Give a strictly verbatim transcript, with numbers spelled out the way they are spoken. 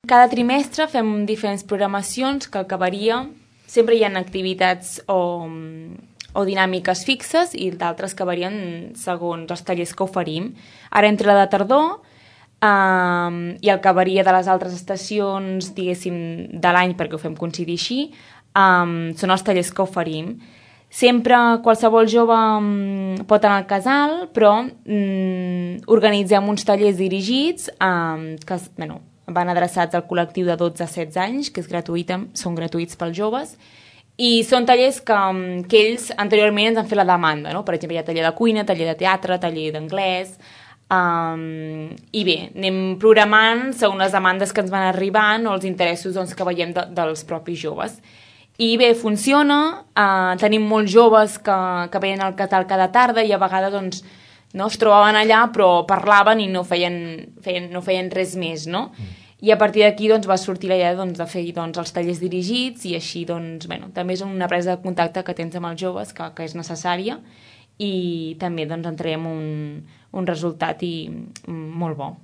Cada trimestre fem diferents programacions que acabaria... Sempre hi ha activitats o, o dinàmiques fixes i d'altres que varien segons els tallers que oferim. Ara entre la de tardor um, i el que varia de les altres estacions, diguéssim, de l'any, perquè ho fem coincidir així, um, són els tallers que oferim. Sempre qualsevol jove um, pot anar al casal, però um, organitzem uns tallers dirigits um, que, bueno, van adreçats al col·lectiu de dotze a setze anys, que és gratuïta, són gratuïts pels joves, i són tallers que, que ells anteriorment ens han fet la demanda, no? Per exemple, hi ha taller de cuina, taller de teatre, taller d'anglès, um, i bé, anem programant segons les demandes que ens van arribant o els interessos doncs, que veiem de, dels propis joves. I bé, funciona, uh, tenim molts joves que, que veien el català cada tarda i a vegades doncs, no? Es trobaven allà però parlaven i no feien, feien, no feien res més, no? Mm. I a partir d'aquí doncs, va sortir la idea doncs, de fer doncs, els tallers dirigits i així doncs, bueno, també és una presa de contacte que tens amb els joves que, que és necessària i també doncs, en traiem un, un resultat i, molt bo.